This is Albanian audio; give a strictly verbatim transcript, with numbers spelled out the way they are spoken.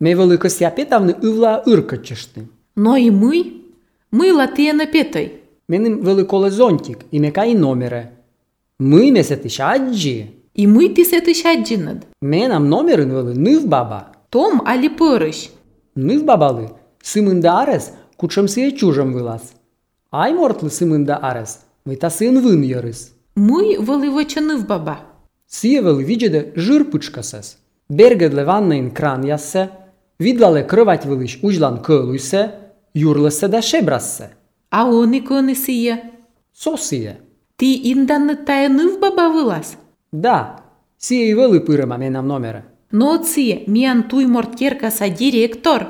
Me вылы кысяпетавны ывла ыркычышты. Но и мы, мы латыяна петой. Меним вылы коле зонтик, и мека и номере. Мы месетыш аджи. И мы тисетыш аджинад. Менам номерын вылы ныв баба. Том али пырыш. Ныв бабалы сымында арес кучемсые чужем вылаз. Ай мортлы сымында арес, мы тасын вын ярыс. Мы вылы ныв баба. Сие вылы виджеде жир пычкасес. Бергедле ваннаин кран яссе, видлале крывать вылыш ужлан кылуйсе, юрлесе да шебрассе. А он и коны сие. Со сие. Ти инданны тая ныв баба вылаз? Да, сие и вылы пырыма менам номере. Но сие, миан туй морткеркаса директор.